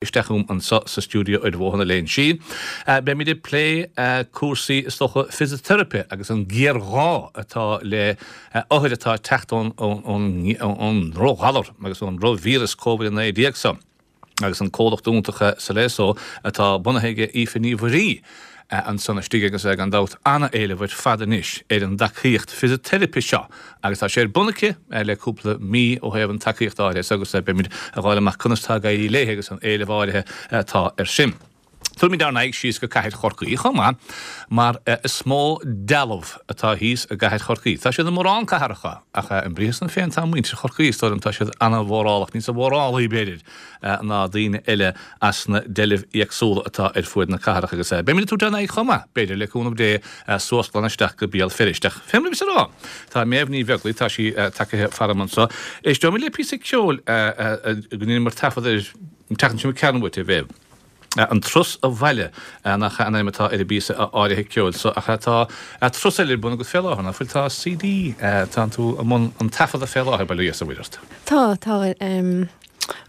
Isteach chugam anseo sa stiúideo ar Bhóthar na Léinsí. Beimid ag plé cúrsaí, is dócha, fisiteiripe agus an géarghá atá le othair atá ag teacht ón ndrochghalar agus ón ndrochvíreas Covid-19 seo agus an comhlacht iontach Saleso atá bunaithe ag Aoife Ní Mhuirí. ansan istigh agus gan dabht ana-éileamh ar fad anois ar an dtacaíocht fisiteiripe seo agus tá sé ar bun aici le cúpla mí ó thaobh an tacaíocht áirithe so agus beimid ag fháil amach conas tá ag éirí léi agus an éileamh áirithe atá ar sin. Tabharfaimid ár n-aghaidh síos go Cathair Chorcaí chomh maith mar is mó dealbh atá thíos i gCathair Chorcaí. Tá siad i mórán cathracha ach an briathar san féin tá muintir Chorcaí is dóigh liom tá siad ana-mhórálach, níosa mhórálaí b'fhéidir ná daoine eile as na deilbh éagsúla atá ar fuaid na cathrach agus beimid ag tabhairt ár n-aghaidh chomh maith, b'fhéidir, le cúnamh Dé, suas glan isteach go Béal Feirste. Ach fé mar a bhíos ag rá, tá Méabh Ní Bheaglaoich, tá sí tagaithe faram anso. Éisteoimid le píosa ceoil go ndeineamar taifead air an tseachtain seo imigh tharainn uait, a Mhéabh. An Turas Abhaile nach ea an ainm atá ar an bpíosa áirithe ceoil so, ach tá turas eile ar bun agat fé láthair, ná fuil? Tá CD, tánn tú i mbun an taifeadta fé láthair, bail ó Dhia is ó Mhuire ort. Tá, tá.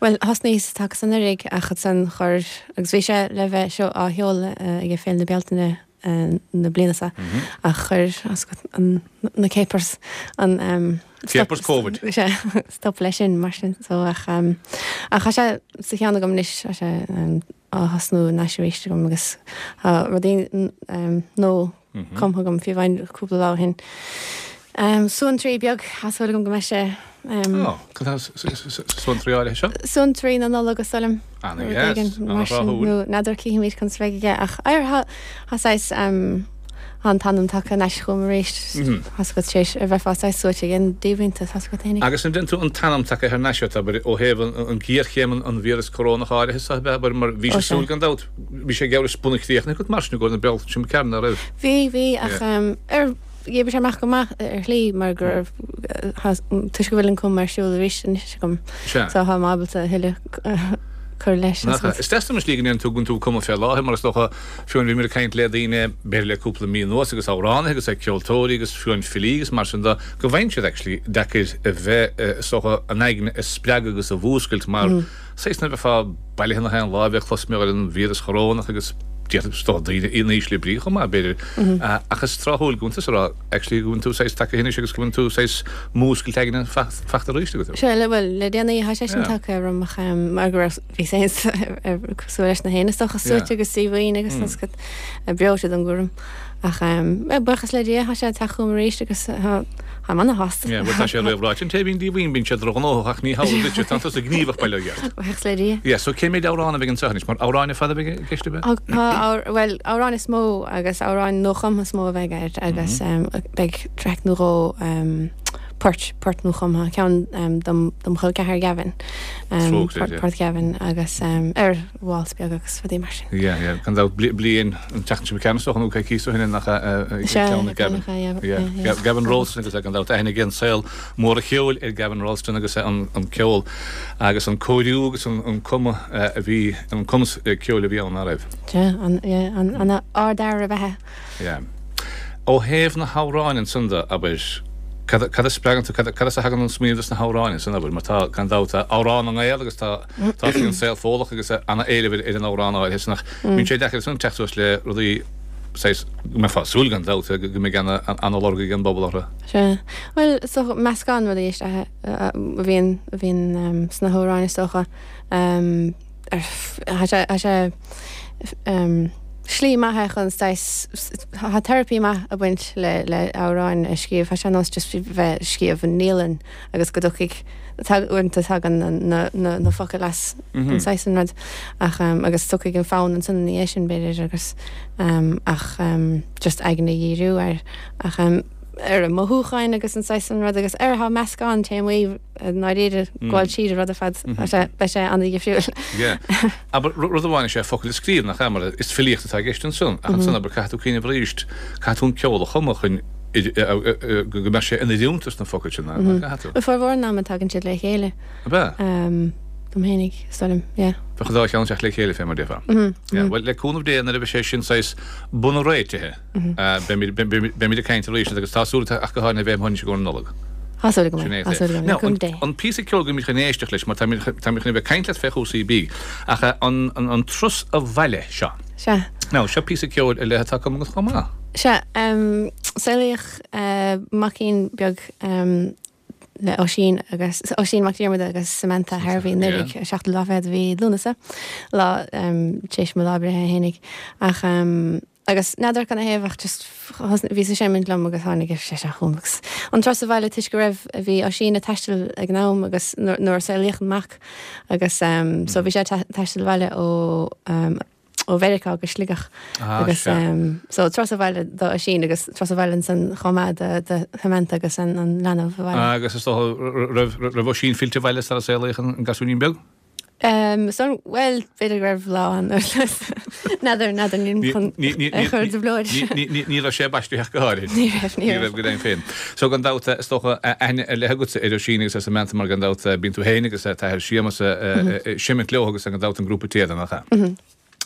Bhuel, thosnaíos taca san anuraidh ach ansan chuir, agus bhí sé le bheith seo á sheoladh ag Féile na Bealtaine na bliana seo, ach chuir an, na capers, an Capers Covid. Sea, stop leis sin mar sin so ach, ach tá sé sa cheann agam anois, tá sé á thosnú anois arís agam agus tá rudaí nua cumtha agam fiú amháin cúpla lá ó shin. Suantraí beag, tá súil agam go mbeidh sé. Ó, cad tá sa suantraí áirithe seo? Suantraí na Nollag is dóigh liom. Ana-dheas, ana-thráthúil. Nó n'fheadar cífimid conas a bheidh aige ach ar tá saghas tá an t-anam tagtha ar ais chugam arís. Tá 's agat tar éis a bheifeá saghas suaite ag an díomhaointeas, tá 's agat fhéinig. Agus an dtéann tú an t-anam tagtha thar n-ais ort, abair, ó thaobh an ghéarchéim an víreas corónach áirithe seo, abair, mar bhí sé súil gan dabht. Bhí sé geall leis bunchríochnaithe agat mar sin i gcomhair na Bealtaine seo imigh tharainn, ná raibh? Bhí, bhí, ach ar, dh'oibrigh sé amach go maith ar shlí mar go raibh, toisc go bhfuil an cumadh ar siúl arís anois agam, Sea. so tá mé ábalta a thuilleadh cur leis. Nach ea? Is deas dom an slí go ndéanann tú, go bhfuil tú ag cumadh fé láthair mar is dócha, fiú amháin bhíomar ag caint le daoine, b'fhéidir le cúpla mí anuas agus amhránaithe agus ceoltóirí agus fiú amháin filí agus mar sin de, go bhfaigheann siad actually deacair a bheith, is dócha, an aigne a spreagadh agus a mhúscailt mar, Saghas nuair a bheifeá bailithe nach aon lá a bheadh clos mé ar an víreas chorónach agus d'fhéadfadh is dócha daoine in ísle brí chomh maith, b'fhéidir. Ach is tráthúil go bhfuil tusa ag rá actually go bhfuil tú saghas tagtha anois agus go bhfuil tú saghas múscailt aigne fachta arís agat. Sea, le, bhuel, le déanaí tá sé sin tagtha orm ach mar go raibh, bhí saghas cosúil leis na héin is dócha suaite agus díomhaoin agus tá 's agat breoite den gcúram. Ach buíochas le Dia, tá sé ag teacht chugam arís agus táim ana-shásta. Yeah, bhuel tá sé réamhráite, an té a bhíonn díomhaoin bíonn sé drochghnóthach ach ní hamhlaidh duitse, tá tusa gníomhach bail ó Dhia ort. Buíochas le Dia. Yeah, so cé méid amhrán a bheidh anseo anois, mar amhráin ar fad a bheidh i gceist ab ea? Tá, bhuel, amhráin is mó agus amhráin nuachumtha is mó a bheidh air agus beidh traic nó dhó poirt, port nuachumtha, ceann dom chol ceathar Gavin, port Gavin agus ar waltz beag agus rudaí mar sin. Yeah, yeah, gan dabht, bliain an tseachtain seo ceann is dócha nó coicís ó shin nach ea ceann ag Gavin. Yeah, Gavin Roulston agus gan dabht aithne ag an saol mór an cheoil ar Gavin Roulston agus an ceol agus an cóiriú agus an cumadh a bhí, an cumas ceoil a bhí ann, ná raibh? Yeah, an ardfhear ab ea. Yeah. Ó thaobh na hamhráin ansan de, abair, cad, cad a spreagann tú, cad, cad as a thagann an smaoineamh dos na hamhráin ansan, abair, mar tá, gan dabht, tá amhrán na nGael agus tá, tá an saol Fódlach agus ana-éileamh ar, ar an amhrán áirithe san ach bíonn sé deacair ansan teacht suas le rudaí saghas, go mbeifeá ag súil gan dabht, go mbeidh ana, ana-lorg ag an bpobal orthu. Sea. Bhuel, is dócha, meascán rudaí is ea a bhíonn, a bhíonn sna hamhráin is dócha. Tá sé, tá sé slí maith é chun saghas, tá teiripí maith ag baint le, le amhráin a scríobh. Tá sé ar nós just bheith ag scríobh i ndialann agus go dtiocfaidh, uaireanta tagann na, na, na focail as an saghas an rud ach agus tiocfaidh an fonn ansan ina dhiaidh sin b'fhéidir agus ach just aigne a dhíriú air ach ar an mothúcháin agus an saghas an rud agus ar tá meascán téamaí i ndáiríre, gabháil tríd an rud ar fad, beidh sé an-dhifriúil. Yeah. Abair, rud amháin is ea focail a scríobh, nach ea, mar is filíocht atá i gceist ansan, ach ansan, abair, caithfidh tú cuimhneamh arís, caithfidh tú an ceol a chumadh chun go mbeadh sé in oiriúint dos na focail sin, nach gcaithfidh tú? Bhuel, formhór an ama tagann siad le chéile. Ab ea? Dom fhéinig, is dóigh liom, yeah. Bheadh an dá cheann ag teacht le chéile, fé mar a déarfá. Yeah, bhuel, le cúnamh Dé, nuair a bheidh sé sin saghas bunréitithe, Beimid ag caint arís agus tá súil ach go háirithe a bheith amuigh anois i gcomhair na Nollag. Tá súil agam é, tá súil agam, le cúnamh Dé. An píosa ceoil go mbeimid chun éisteacht leis, mar táimid chun a bheith ag caint leat fé chúrsaí bídh, ach an turas abhaile seo. Sea. Now, seo píosa ceoil ar leith atá cumtha agat chomh maith. Sea, saolaíodh maicín beag le Oisín agus, Oisín Mac Diarmada agus Samantha Harvey anuraidh, an seachtú lá fichead de mhí Lúnasa, lá tar éis mo lá breithe fhéinig. Ach. Agus n'fheadar cad 'na thaobh ach just bhíos ag seimint liom agus tháinig sé seo chugam agus an turas abhaile toisc go raibh, bhí Oisín ag taisteal ag an am agus nuair a saolaíodh an mac agus so bhí sé ag taisteal abhaile ó ó Mheiriceá go Sligeach agus so turas abhaile do Oisín agus turas abhaile ansan chomh maith do do Samantha agus an leanbh abhaile. Agus is dócha raibh raibh Oisín fillte abhaile sara saolaíodh an gasúinín beag? So, bhuel, b'fhéidir go raibh lá ann. N'fheadar, n'fheadar, nílim chun é a chur i dtrioblóid. Ní raibh sé baistithe ach go háirithe. Ní raibh, ní raibh. Ní raibh go deimhin féin. So gan dabht, is dócha, aithne ar leith agatsa ar Oisín agus ar Samantha mar gan dabht bíonn tú féin agus t'athair Séamus ag seimint leo agus gan dabht an grúpa Téada, nach ea?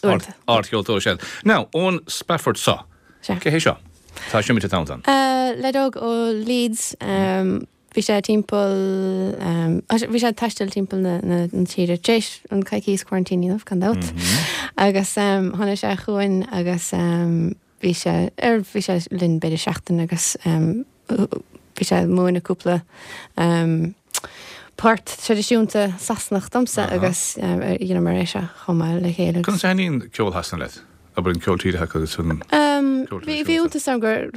Uaireanta. Ardcheoltóir is ea. Now, Owen Spafford so. Sea. Cé hé seo? Tá seimint atá ann. Leaid óg ó Leeds. Bhí sé timpeall, bhí sé ag taisteal timpeall na tíre tar éis an coicíos quarantine a dhéanamh, gan dabht. Agus tháinig sé chugainn agus bhí sé ar, bhí sé linn b'fhéidir seachtain agus bhí sé ag múineadh cúpla port traidisiúnta Sasanach domsa agus dheineamar é seo chomh maith le chéile. Conas a thaitníonn ceol Shasana leat? Abair an ceol tíre acu agus an ceol traidisiúnta. Bhí iontas orm gur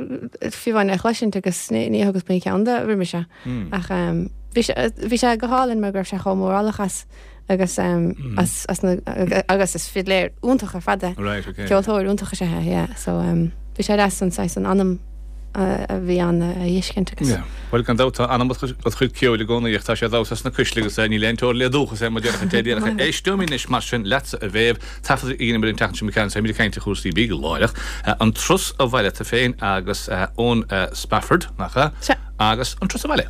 fiú amháin é a chloisint agus ní thugas faoi cheann de roimhe seo. Ach bhí sé bhí sé go hálainn mar go raibh sé chomh mórálach as agus as as na agus is fidléir iontach ar fad é. Right, okay. Ceoltóir iontach is ea é, yeah. So bhí sé deas an saghas an anam a bhí ann a fheiscint agus. Yeah. Bhuel gan dabht tá anam id chuid ceoil i gcónaí ach tá sé ar damhsa sna cuisle agus níl aon teora le dúchas é mar déarfadh an té a déarfadh é. Éisteoimid anois mar sin leatsa a Mhéabh, Taifead a dheineamar an tseachtain seo imigh tharainn, táimid ag caint ar chúrsaí bídh láithreach, an Turas Abhaile tú féin agus Eoin Spafford, nach ea? Sea. Agus an Turas Abhaile.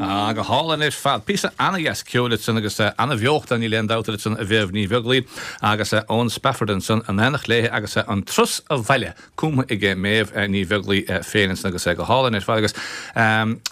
Ah, go hálainn ar fad. Píosa ana-dheas ceoil ansan agus ana-bheocht ann, níl aon dabht ansan a Mhéabh Ní Bheaglaoi agus Eoin Spafford ansan in éineacht léi agus an Turas Abhaile cumtha aige Méabh Ní Bheaglaoi féin ansan agus go hálainn ar fad agus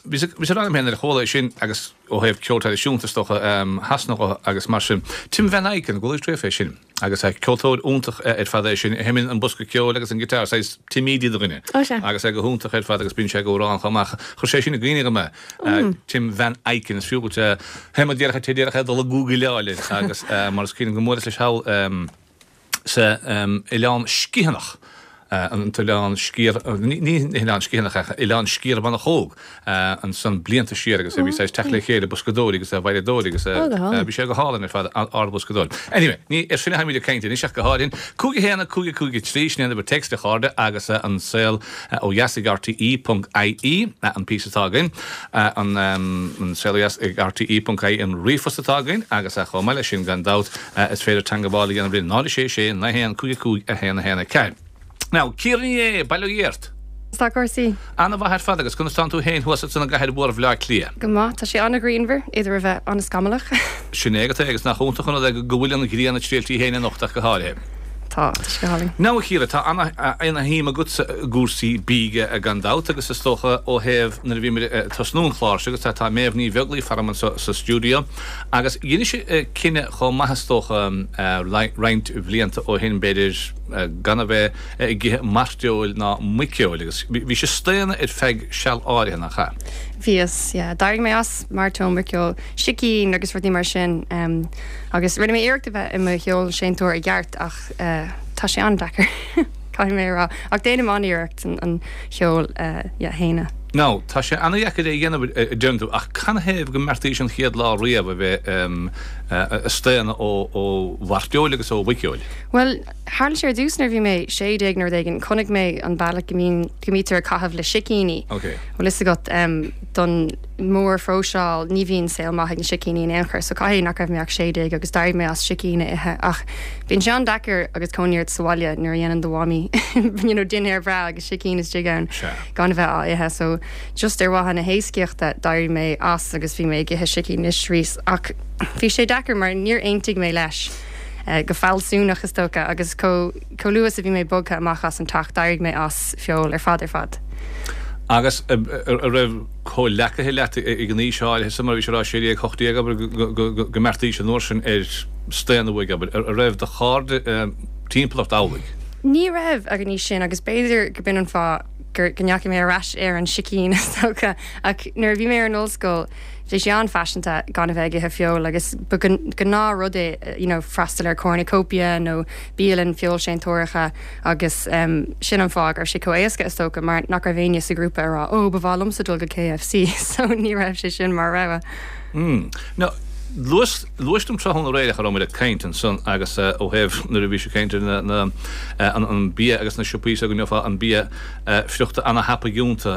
bhíos ag rá liom féin nuair a chuala é sin agus ó thaobh ceol traidisiúnta is dócha Shasana dhe agus mar sin. Tim Van Eyken, an gcuala tú fé sin? Agus ceoltóir iontach ar fad é sin, a sheinneann an bosca ceoil agus an giotár, saghas Tim Edey de dhuine. Ó sea. Agus é go hiontach ar fad agus bíonn sé ag amhrán chomh maith. Chuir sé sin i gcuimhne dhom é, Tim Van Eyken, is fiú dhuit é mar déarfá té déarfá dul ag gúgaileáil air agus mar is cuimhin go mbuaileas leis thall sa Oileán Sgitheanach. An tOileán Sciath, ní hOileán Sciathanach ach Oileán Sciarmhonachóg ansan blianta siar agus bhí saghas teacht le chéile boscadóirí agus veidhleadóirí agus bhí sé go hálainn ar fad, ard-bhoscadóir. Anyway, ní ar sin atháimid ag caint anois ach go háirithe. 5 1 5 5 3, sin é an uimhir téacs a chairde agus an saol ó dheas ag RTE ponc IE an píosa atá againn, an saol ó dheas ag RTE ponc IE an ríomhphost atá againn agus chomh maith leis sin gan dabht Is féidir teangabháil a dhéanamh linn 0 6 6 9 1 5 5 1 1 4. Now, Ciara Ní É, bail ó Dhia ort! Conas tá cúrsaí? Ana-mhaith ar fad agus conas tánn tú féin thuas ansan i gcathair mhór Bhleá Cliath? Go maith, tá sé ana-ghrianmhar, idir a bheith ana-scamallach. Sin é agat é agus nach iontach an rud é go bhfuil an ghrian ag triall di féin anocht ach go háirithe. Tá, tá sé go hálainn. Now a Chiara, tá ana-shuim agatsa i gcúrsaí bídh gan dabht agus is dócha ó thaobh nuair a bhíomar ag tosnú an chláir seo agus tá Méabh Ní Bheaglaoich faram anseo sa stiúideo Agus dheinis cinneadh chomh maith is dócha roinnt bhlianta ó shin b'fhéidir gan a bheith ag ithe mairteoil ná muiceoil agus bhís ag staonadh ar feadh seal áirithe, nach ea? Bhíos, yeah. D'éirigh mé as mairteoil, muiceoil, sicín agus rudaí mar sin agus rinne mé iarracht a bheith i mo fheoilséantóir i gceart ach tá sé an-deacair, caithfidh mé a rá. Ach déanaim an-iarracht an feoil a shéanadh. Now, tá sé ana-dheacair é a dhéanamh, a deireann tú, ach canathaobh go mbeartaís an chéad lá riamh a bheith ag staonadh ó mhairteoil agus ó mhuiceoil? Bhuel, tharla sé ar dtús nuair a bhí mé 16 nó rud éigin, chonaic mé an bealach go mbíonn, go mbítear ag caitheamh le sicíní. Ok. Bhfuil fhios agat, don mhórphróiseáil, ní bhíonn saol maith ag na sicíní in aon chor, so caithfidh nach raibh mé ach 16 agus d'éirigh mé as sicín a ithe ach bíonn sé an-deacair agus cónaí ort sa bhaile nuair a dhéanann do mhamaí you know dinnéar breá agus sicín istigh ann gan a bheith á ithe so just ar mhaithe na héascaíochta d'éirigh mé as agus bhí mé ag ithe sicín anois arís ach bhí sé deacair mar níor aontaigh mé leis go fealsúnach is dócha agus chomh chomh luath is a bhí mé bogtha amach as an teach d'éirigh mé as feoil ar fad ar fad. Agus a raibh comhleacaithe leat ag an aois áirithe san, mar a bhís a rá, 16, 18, abair, go mbeartaís an uair sin ar staonadh uaidh, abair, a raibh do chairde timpeall ort amhlaidh? Ní raibh ag an aois sin agus b'fhéidir go b'in an fáth go ndeachaigh mé ar ais ar an sicín is dócha ach nuair a bhí mé ar an ollscoil bhí sé an-fhaiseanta gan a bheith ag ithe feoil agus ba gnáthrud é you know freastal ar cornucopia nó bialann feoilséantóireacha agus sin an fáth go raibh sé chomh éasca is dócha mar nach raibh éinne sa ghrúpa ag rá 'Ó, ba mhaith liomsa dul go KFC' so ní raibh sé sin mar rogha. Mm. Now, luais, luais dom tráthnóna aréir ach a raibh muid ag caint ansan agus ó thaobh nuair a bhís ag caint ar na, na, an, an bia agus na siopaí so go ngeofá an bia friochta ana-thapaidh iontu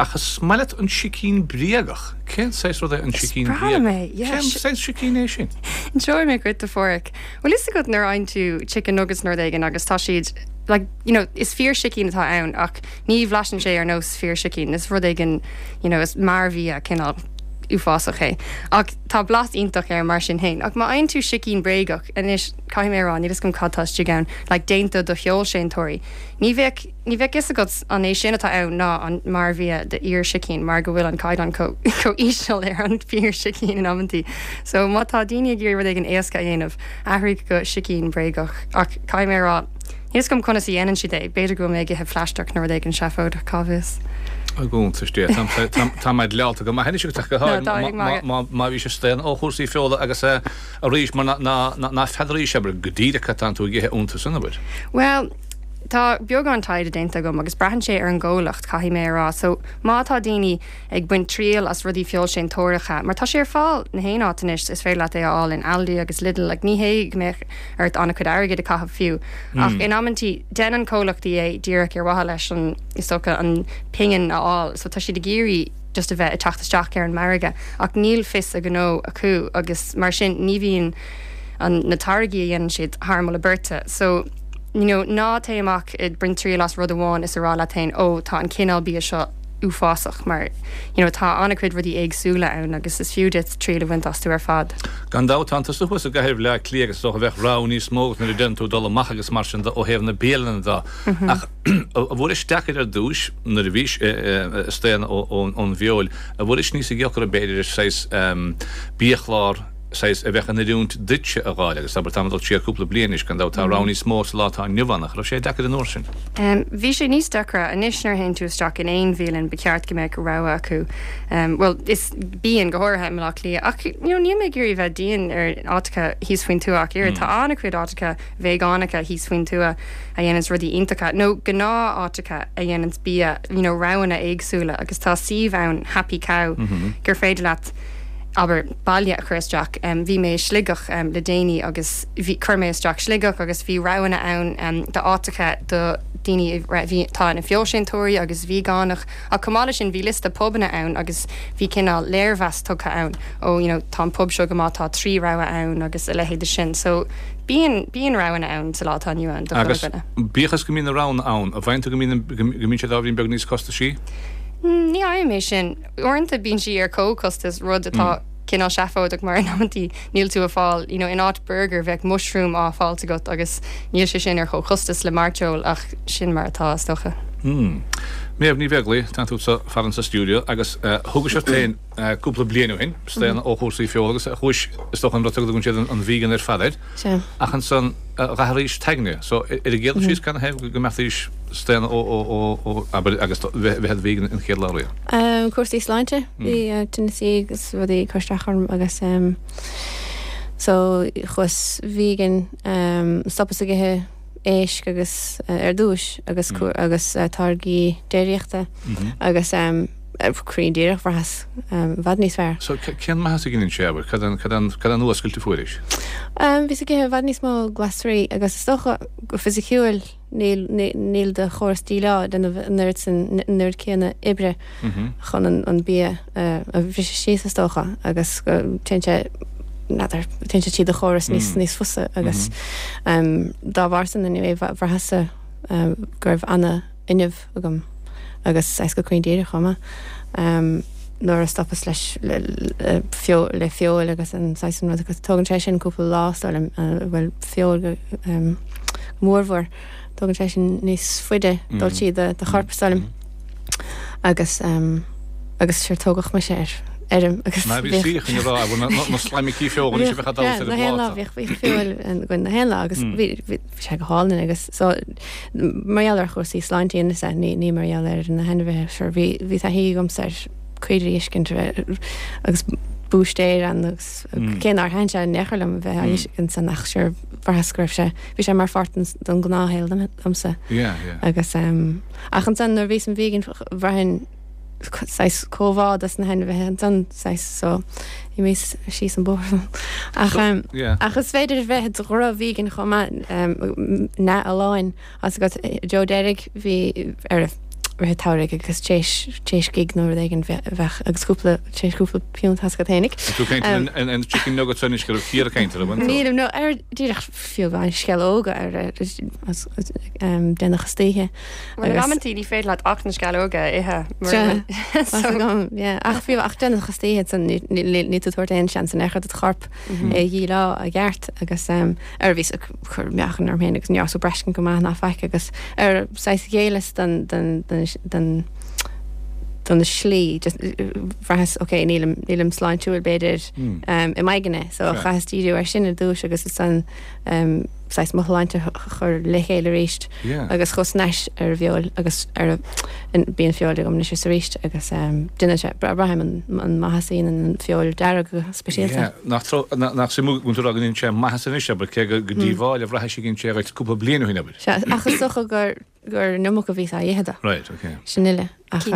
ach is maith leat an sicín bréagach. Cén saghas rud é an Is sicín breá liom bréagach? é, yeah. Cén saghas sicín é sin? Inseoidh mé dhuit a Pháraic. Bhfuil fhios agat nuair a fhaigheann tú chicken nuggets nó rud éigin agus tá siad like you know is fíor sicín atá ann ach ní bhlaiseann sé ar nós fíor sicín is rud éigin you know is mearbhia cineál uafásach é ach tá blas iontach air mar sin féin ach má fhaigheann tú sicín bréagach anois caithfidh mé a rá níl fhios agam cad tá istigh ann like déanta do feoilséantóirí ní bheadh Ní bheadh fhios agat an é sin atá ann ná an mearbhia de fhíor-sicín mar go bhfuil an caighdeán chomh íseal ar an bhfíor-sicín in amantaí. So má tá daoine ag iarraidh rud éigin éasca a dhéanamh, athraigh go sicín bréagach. Ach caithfidh mé a rá, níl fhios agam conas a dhéanann siad é, b'fhéidir go bhfuil mé ag ithe plaisteach nó rud éigin seafóideach, cá bhfios. I gcuntas Dé, tá mé dleálta go maith anois agus go háirithe má bhís ag staonadh ó chúrsaí feola agus arís mar ná feadraís, abair, go díreach cad tánn tú ag ithe iontu san, abair. Bhuel, Tá beagán taighde déanta agam agus braitheann sé ar an gcomhlacht, caithfidh mé a rá. So, má tá daoine ag baint triail as rudaí feoilséantóireacha, mar tá sé ar fáil na haon áit anois, is féidir leat é a fháil in Aldi agus Lidl, like ní hé go mbeadh ort an-chuid airgid a chaitheamh fiú. Ach in amantaí, déanann comhlachtaí é díreach ar mhaithe leis an, is dócha, an pingin a fháil. So tá siad ag iarraidh just a bheith ag teacht isteach ar an margadh ach níl fios a ngnó acu agus mar sin ní bhíonn an, na táirgí a dhéanann siad thar moladh beirte. So. you know, ná téigh amach ag baint triail as rud amháin is a rá leat féin, oh, tá an cineál bia seo uafásach mar, you know, tá an-chuid rudaí éagsúla ann agus is fiú duit triail a bhaint astu ar fad. Gan dabht, tánn tusa thuas i gcathair Bhaile Átha Cliath agus is dócha bheadh rogha níos mó agat nuair a deireann tú dul amach agus mar sin de ó thaobh na bialanna de. Ach an bhfuairis deacair ar dtúis nuair a bhís ag staonadh ón bhfeoil, an bhfuairis níosa dheacra b'fhéidir saghas biachlár? saghas, a bheadh in oiriúint duitse a dh'fháil agus abair, táim ag dul siar cúpla bliain anois, gan dabht tá rogha níos mó sa lá atá inniu ann, ach raibh sé deacair an uair sin? Bhí sé níos deacra. Anois nuair a théann tú isteach in aon bhialann ba cheart go mbeadh rogha acu. Bhuel, is, bíonn, go háirithe i mBleá Cliath. Ach, you know, níl mé ag iarraidh bheith dian ar áiteacha thíos faoin tuath ach oiread. Tá an-chuid áiteacha veigeánacha thíos faoin tuath a dhéananns rudaí iontacha, nó gnáth-áiteacha a dhéananns bia, you know, roghanna éagsúla agus tá suíomh ann, Happy Cow, gur féidir leat, abair, baile a chur isteach. Bhí mé i Sligeach le déanaí agus bhí, chuir mé isteach Sligeach agus bhí roghanna ann d'áiteacha do daoine a bhí, atá ina feoilséantóirí agus veigeánach ach chomh maith leis sin bhí liosta pubanna ann agus bhí cineál léirmheas tugtha ann, ó you know tá an pub seo go maith, tá 3 rogha ann agus a leithéid de sin. So bíonn, bíonn roghanna ann sa lá atá inniu ann do chuile Agus dhuine. bíodh is go mbíonn na roghanna ann, an bhfaigheann tú go mbíonn, go mbíonn siad ábhairín beag níos costaisí? Ní fhaighim é sin. Uaireanta bíonn sí ar comhchostas, rud atá cineál seafóideach mar in amantaí níl tú ag fáil, you know, in áit burger bheadh mushroom á fáilt agat agus níl sé sin ar chomhchostas le mairteoil ach sin mar atá is dócha. Hmm. Méabh Ní Bheaglaoi, tá tú sa farainn sa stiúideo agus thugais ort féin cúpla bliain ó shin, staonadh ó chúrsaí feola agus chuais, is dócha an rud a dtugann siad an vegan ar fad air. Sea. Ach ansan d'athraís t'aigne. So, ar an gcéad dul síos canathaobh go mbeartaís staonadh ó, ó, ó, ó, abair, agus bheith i do vegan an chéad lá riamh? Cúrsaí sláinte. Bhí tinneasaí agus rudaí ag cur isteach orm agus so chuas vegan, stopas ag ithe éisc agus ar dtúis agus agus táirgí déiríochta agus cruinn díreach bhraitheas i bhfad níos fearr. So cén maitheas a dheineann sé, abair, cad é an, cad é an fhuascailt a fuairis? Bhíos ag ithe i bhfad níos mó glasraí agus is dócha go fisiciúil níl, níl do chóras díleá ag déanamh an oiread sin, an oiread céanna oibre chun an bia a bhriseadh síos is dócha agus go téann sé, n'fheadar, téann sé tríd do chóras níos, níos fusa agus dá bharr san anyway bhraitheas-sa go raibh ana-fhuinneamh agam agus saghas go cruinn díreach chomh maith nuair a stopas leis le feoil agus an saghas sin rud agus tógann sé sin cúpla lá is dóigh liom bhuel feoil go mórmhór tógann sé sin níos faide dul tríd do chorp is dóigh liom agus agus sure tógadh mise ar fheirm agus Ná bhí saoich ina rá bhfuil na slaimicí feoil anois a bheadh ag damhsa ar an bpláta. Bhíodh feoil againn na haon lá agus bhí bhí sé go hálainn agus so mar gheall ar chúrsaí sláinte is ea, ní ní mar gheall ar na hainmhithe sure bhí bhí taithí agamsa ar caoirigh a fheiscint agus búistéir ann agus cé nár thaitin sé in aon chor liom a bheith á fheiscint san ach sure bhraitheas go raibh sé bhí sé mar pháirt den den ghnáthshaol domsa Yeah, yeah. agus ach ansan nuair a bhíos im vegan bhraithinn saghas comhbhá dos na hainmhithe ansan saghas so d'imíos síos an bóthar ach ach is féidir bheith i do dhroch-vegan chomh maith neamhfholláin as agat Joe Derrig bhí ar rith an tsamhraidh agus téis téis gig nó rud éigin bheadh agus cúpla téis cúpla piúnt as agat fhéinig. Tú ag caint ar an chicken nuggets anois go raibh Ciara ag caint ar an bhfuil tú? Nílim no ar díreach fiú amháin sceallóga ar déanach istoíche. Bhuel, in amantaí ní féidir leat ach na sceallóga a ithe mura bhfuil. So. Yeah, ach fiú ach déanach istoíche ansan níl tú ag tabhairt aon seans in aon chor do do chorp é a dhíleá i gceart agus ar bhíos ag cur meáchan orm féin agus ní raibh ag braistint go maith ná faic agus ar saghas ghéilleas don don don don don slí just bhraitheas ok nílim nílim sláintiúil b'fhéidir i m'aigne so chaitheas díriú ar sin ar dtús agus ansan saghas mo shláinte a chur le chéile arís agus chuas thar n-ais ar an bhfeoil agus ar bíonn feoil agam anois is arís agus déanann sé, braithim an maitheas a dhéanann an feoil dearg go speisialta. Nach suimiúil go bhfuil tú ag rá go ndéanann sé maitheas anois, abair, cé gur díobháil a bhraithis a dhein sé dhuit cúpla bliain ó shin, abair. Sea, ach is dócha gur gur an iomarca a bhíos á ithe de. Right, ok. Sin uile. Ach,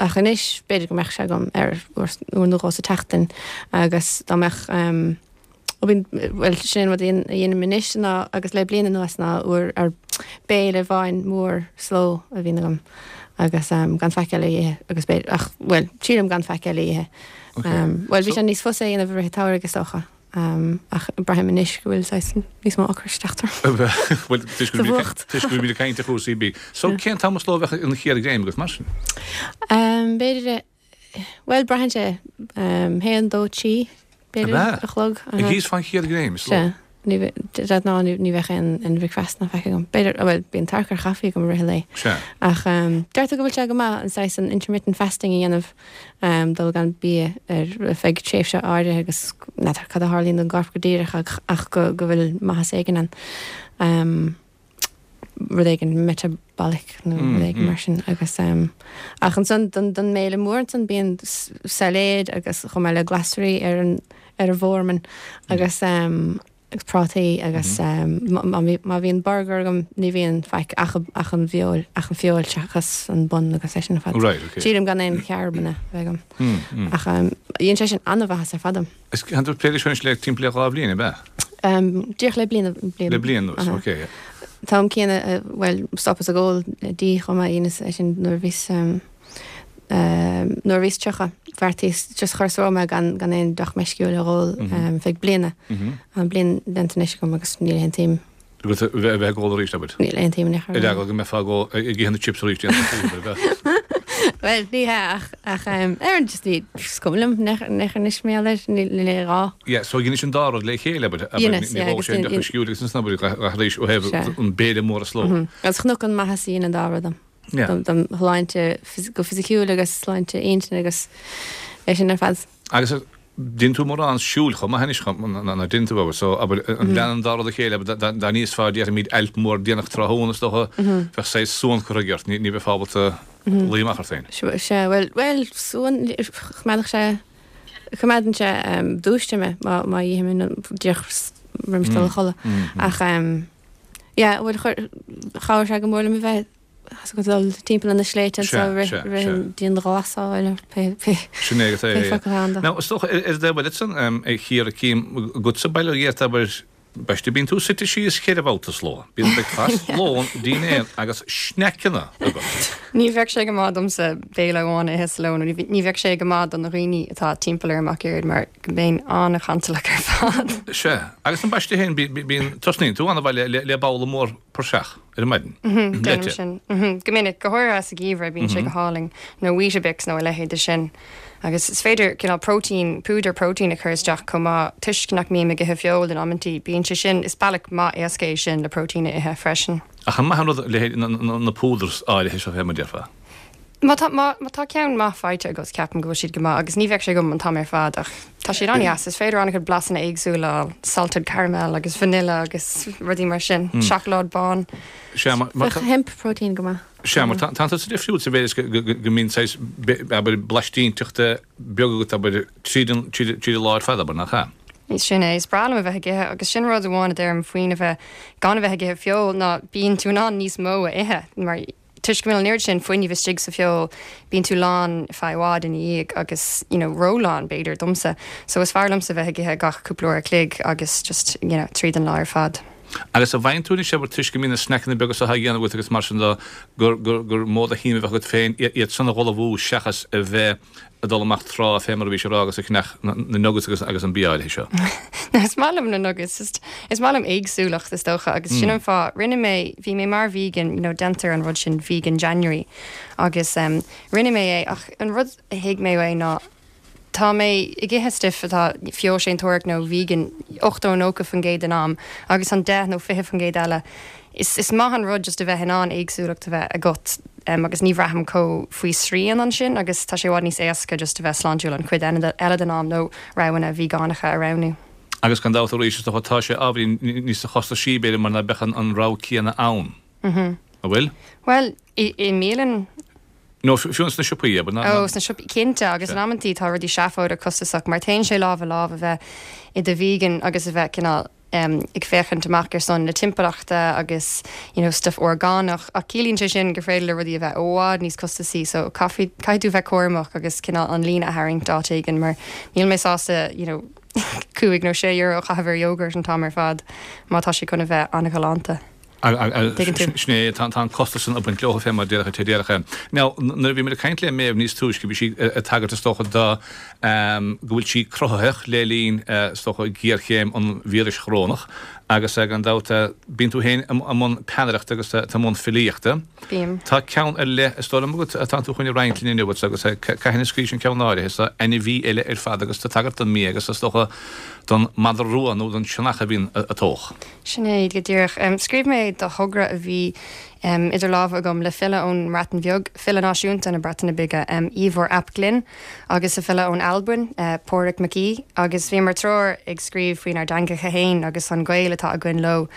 ach anois b'fhéidir go mbeadh sé agam ar uair nó dhó sa tseachtain agus dá mbeadh Ó bíonn, bhuel, sin an rud a dhéanaim anois ná, agus le bliain anuas ná uair ar béile amháin mór slow a bhíonn agam agus gan faic eile a ithe agus b'fhéidir, ach, bhuel, triailim gan faic eile a ithe. Bhuel, bhí sé níos fusa a dhéanamh i rith an tsamhraidh is dócha, ach braithim anois go bhfuil saghas níos mó ocrais ag teacht orm. Bhuel, toisc go bhfuilimid ag caint ar chúrsaí bídh. So, cén t-am is ló a bheadh an chéad ghreim agat mar sin? B'fhéidir Bhuel, braitheann sé. Haon, dó, trí, b'fhéidir, a chlog. Ag íosfá an chéad ghreim, is ló. Sea. Ní bhe, de ghnáth ní bheadh aon aon bhricfeasta ná faic agam. B'fhéidir, bhuel, bíonn tarrac ar chaife agam i rith an lae. Sea. Ach deirtear go bhfuil sé go maith an saghas an intermittent fasting a dhéanamh, dul gan bia ar feadh tréimhse áirithe agus n'fheadar cad a tharlaíonn don gcorp go díreach ach ach go go bhfuil maitheas éigin ann. Rud éigin metabolic nó rud éigin mar sin agus ach ansan don don mbéile mór ansan bíonn sailéad agus chomh maith le glasraí ar an ar an bhformán agus agus prátaí agus má bhíonn burger agam ní bhíonn faic ach ach an bhfeoil ach an feoil seachas an bun agus é sin ar fad. Right, okay. Sílim gan aon charbanna a bheith agam. Ach dhein sé sin an-mhaitheas ar fad dom. Is tá tú ag plé leis anois le timpeall le 2 bhliain, ab ea? Díreach le bliain, bliain. Le bliain anuas, ok. An t-am céanna, bhuel, stopas ag ól dí chomh maith, dheineas é sin nuair a bhíos, nuair a bhíos 30, bheartaíos, just chuireas romham é gan, gan aon deoch meisciúil a dh'ól feadh bliana. Tá bliain déanta anois agam agus níl aon tsuim. Agat a bheith ag ól arís, abair? Níl aon tsuim in aon chor. Ar eagla go mbeifeá ag ithe na chips arís déanamh abair, ab ea? Bhuel, ní hea ach, ach ar an just ní, is cuma liom in aon chor anois mar gheall air, níl, níl aon ghá. Yeah, so dheinis an dá rud le chéile, abair, abair, Dheineas, ní yeah, dhóigh agus sé an deoch meisciúil agus ansan, abair, arís ó thaobh Sea. an béile mór is ló. Agus chonac an maitheas a dhein an dá rud dom. Yeah. Dom shláinte go fisiciúil agus sláinte intinne agus é sin ar fad. Agus déanann tú mórán siúil chomh maith anois ná déanann tú abair so abair an leanann an dá rud a chéile abair dá n-íosfá déarfaimid ailp mór déanach tráthnóna is dócha bheadh saghas suan curtha ort ní bheifeá ábalta luí amach ort féin. Sea bhuel bhuel suan choimeádfadh sé coimeádann sé dúiste mé má má ithim díreach roimis dul a chodladh ach yeah bhuel chuir chabhraigh sé go mór liom a bheith Tá a dul timpeall ar na sléibhte Sea, anseo rith sea, rith sea. an dianghlasáil nó pé pé Sin é agus é, pé é. focal atá ann dó. Now, is dócha, ar an dtaobh eile san, a Chiara, cím agatsa bail ó Dhia ort, abair, ambaiste, bíonn tú suite síos cheithre bhabhta sa ló. Bíonn bricfeasta, lón, dinnéar agus sneaiceanna agat. Ní bheadh sé go maith domsa béile amháin a ithe sa ló nó ní bheadh sé go maith do na dhaoine atá timpeall orm ach oiread mar go mbeinn an-chantalach ar fad. Sea. Agus ambaiste féin, bíonn, tosnaíonn tú an-mhaith le, le babhla mór praiseach ar an maidin. Déanaim sin. Go minic, go háirithe sa gheimhreadh, bíonn sé go hálainn. Nó Weetabix nó a leithéid de sin. Agus is féidir cineál próitéin, púdar próitéin a chur isteach chomh maith, toisc nach mbím ag ithe feoil in amantaí, bíonn sé sin, is bealach maith éasca é sin le próitéin a ithe freisin. Ach an maith an rud leithéid na púdars áirithe seo fé mar a déarfá? Má tá, má tá ceann maith faighte agat, ceapaim go bhfuil siad go maith agus ní bheadh sé agam an t-am ar fad ach tá siad an-deas. Is féidir an-chuid blasanna éagsúla a fháil, salted caramel agus vanilla agus rudaí mar sin, seacláid bán. Sea, mar, mar Bheadh hemp protein go maith. Sea, mar tá, tá tusa difriúil sa mhéid is go, go, go mbíonn saghas, abair, blaistínteachta beag agat, abair, tríd an, tríd, tríd an lá ar fad, abair, nach ea? Sin é, is breá liom a bheith ag ithe agus sin rud amháin a deirim faoin a bheith, gan a bheith ag ithe feoil ná bíonn tú in ann níos mó a ithe mar Toisc go bhfuil an oiread sin fuinnimh istigh sa bhfeoil, bíonn tú lán ar feadh i bhfad ina dhiaidh agus, you know, ró-lán, b'fhéidir, domsa. So is fearr liomsa bheith ag ithe gach cúpla uair a chloig agus just, you know, tríd an lá ar fad. Agus an bhfaigheann tú anois, abair, toisc go mbíonn na sneaiceanna beaga seo á dhéanamh agat agus mar sin de, gur, gur, gur mó de shuim a bheadh agat féin iad san a dh'ullmhú seachas a bheith ag dul amach tráth fé mar a bhís ag rá agus ag ceannach na nuggets agus agus an bia áirithe seo. No, is maith liom na nuggets, just is maith liom éagsúlacht is dócha agus sin an fáth, rinne mé, bhí mé mar vegan, you know déantar an rud sin vegan January agus em rinne mé é ach an rud a thuig mé uaidh ná tá mé ag ithe stuif atá feoilséantóireacht nó vegan 80 90% den am agus an 10 nó 20% eile Is is maith an rud just a bheith in ann éagsúlacht a bheith agat agus ní bhraithim chomh faoi srian ansin agus tá sé i bhfad níos éasca just a bheith sláintiúil an chuid eile den am nó roghanna veigeánacha a roghnú. Agus gan dabht arís is dócha tá sé ábhairín níos costasaí b'fhéidir mar ná beadh an rogha céanna ann. An bhfuil? Bhuel, i i mbialann. Nó fiú sna siopaí, abair, ná. Ó, sna siopaí, cinnte, agus in amantaí tá rudaí seafóideach costasach mar téann sé lámh i lámh a bheith i do vegan agus a bheith cineál ag féachaint amach ar son na timpeallachta agus you know stuff orgánach ach ciallaíonn sé sin gur féidir le rudaí a bheith i bhfad níos costasaí so caithfidh caithfidh tú bheith cúramach agus cineál an líne a tharraingt áit éigin mar níl mé sásta you know €5 nó €6 a chaitheamh ar yogurt an t-am ar fad má tá sé chun a bheith an-ghalánta. Tuigeann tú. Sin é, tá an costas san ag baint leo fé mar déarfá te déarfá. Now, nuair a bhí muid ag caint le Méabh níos túisce, bhí sí ag tagairt is dócha do go bhfuil sí cruthaitheach le linn is dócha géarchéim an víris chorónach agus gan dabht bíonn tú féin i mbun peannaireachta agus tú i mbun filíochta. Bím. Tá ceann ar leith is dóigh liom agat atá tú chun a roinnt linn inniu agus cathain a scríobhais an ceann áirithe so ainmhí eile ar fad agus tú ag tagairt don mbia agus is dócha don madra rua nó don sionnach a bhíonn ag tóch. Sin é go díreach. Scríobh mé do thogra a bhí idir lámha agam le file ón mBreatain Bheag, file náisiúnta na Breataine Bige, Ifor ap Glyn, agus le file ón Albain, Pàdruig Mac Aodha, agus bhíomar triúr ag scríobh faoinár dteangacha féin agus an gaol atá againn leo,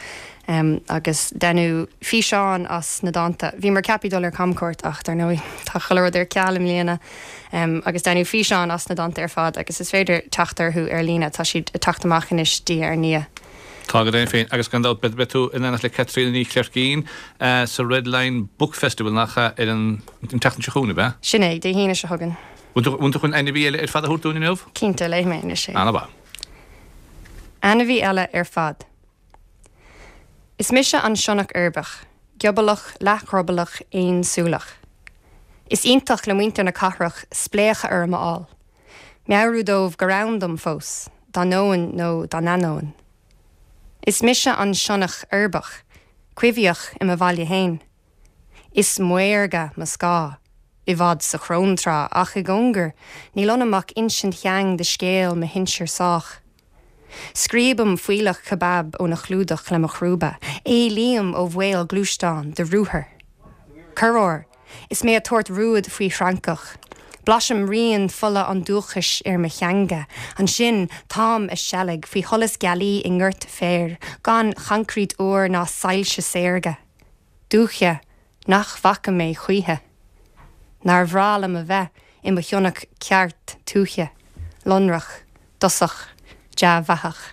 agus deineadh físeán as na dánta. Bhíomar ceaptha dul ar camchuairt ach, dar ndóigh, tá chuile rud ar ceal i mbliana. Agus deineadh físeán as na dánta ar fad agus is féidir teacht orthu ar líne, tá siad ag teacht amach anois diaidh ar ndiaidh. Tá go deimhin féin, agus gan dabht beidh tú in éineacht le Caitríona Ní Chleircín sa Red Lion Book Festival, nach ea, ar an tseachtain seo chugainn, ab ea? Sin é, Dé hAoine seo chugainn. Bhfuil tú chun ainmhí eile ar fad a thabhairt dúinn inniu? Cinnte, léifidh mé anois é. Ana-mhaith. Ainmhí eile ar fad. Is mise an sionnach uirbeach, giobalach, leath-dhruballach, aonsúileach. Is iontach le muintir na cathrach spléachadh orm a fháil. Meabhrú dóibh gur ann dom fós, dá ndóinn nó dá n-ainneoin. Is mise an sionnach uirbeach, coimhthíoch i mo bhaile fhéin. Is maorga mo scáth, i bhfad sa chróntrá, ach i gcóngar, níl ionam ach insint sheang de scéal mo shinsear sách. Scríobaim fuílleach kebab óna chlúdach le mo chrúba, éalaím ó bhaol gluaisteáin de ruathar. Corruair, is mé ag tabhairt rúid faoi thrancach. Blaisim rian fola an dúchais ar mo theanga. Ansin, táim a seilg faoi sholas gealaí i ngort féir, gan choincreít úr ná soilse saorga. Dúiche nach bhfaca mé choíche. Nár bhreá liom a bheith i mo shionnach ceart tuaithe, lonrach, dosach, dea-bheathach.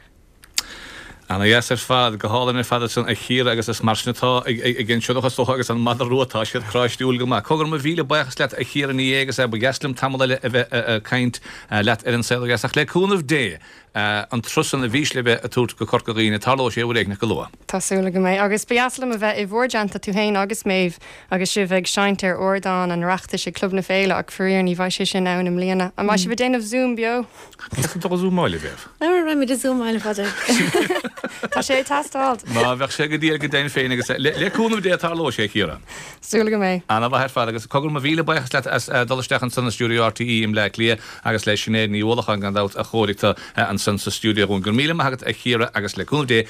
Ana dheas ar fad, go hálainn ar fad ansan a Chiara agus is mar sin atá ag an sionnach is dócha agus an madra rua, tá siad cráistiúil go maith. Cogar mo mhíle buíochas leat a Chiara Ní É agus ba dheas liom tamall eile a bheith ag caint leat ar An Saol Ó Dheas ach le cúnamh Dé an turas san a bhís le bheith ag tabhairt go Corca Dhuibhne, tarlóidh sé uair éigneach go luath. Tá súil agam é. Agus ba dheas liom a bheith i bhur dteannta, tú féin agus Méabh, agus sibh ag seinnt ar ardán an Oireachtais ag Club na Féile, ach faraor ní bheidh sé sin ann i mbliana. An mbeidh sibh ag déanamh Zoom beo? Cén tú ag zúmáil, a Mhéabh? An mbeimid ag zúmáil, a Phádraig? Tá sé ag teastáil. Má bheadh sé go diail go deimhin féin agus le cúnamh Dé tarlóidh sé, a Chiara. Súil agam é. Ana-mhaith ar fad agus cogar mo mhíle buíochas leat as dul isteach ansan i stiúideo RTÉ i mBleá Cliath agus le Sinéad Ní Uallacháin gan dabht a chóirigh tú ansan sa stiúideo dhúinn. Go raibh míle maith agat a Chiara agus le cúnamh Dé.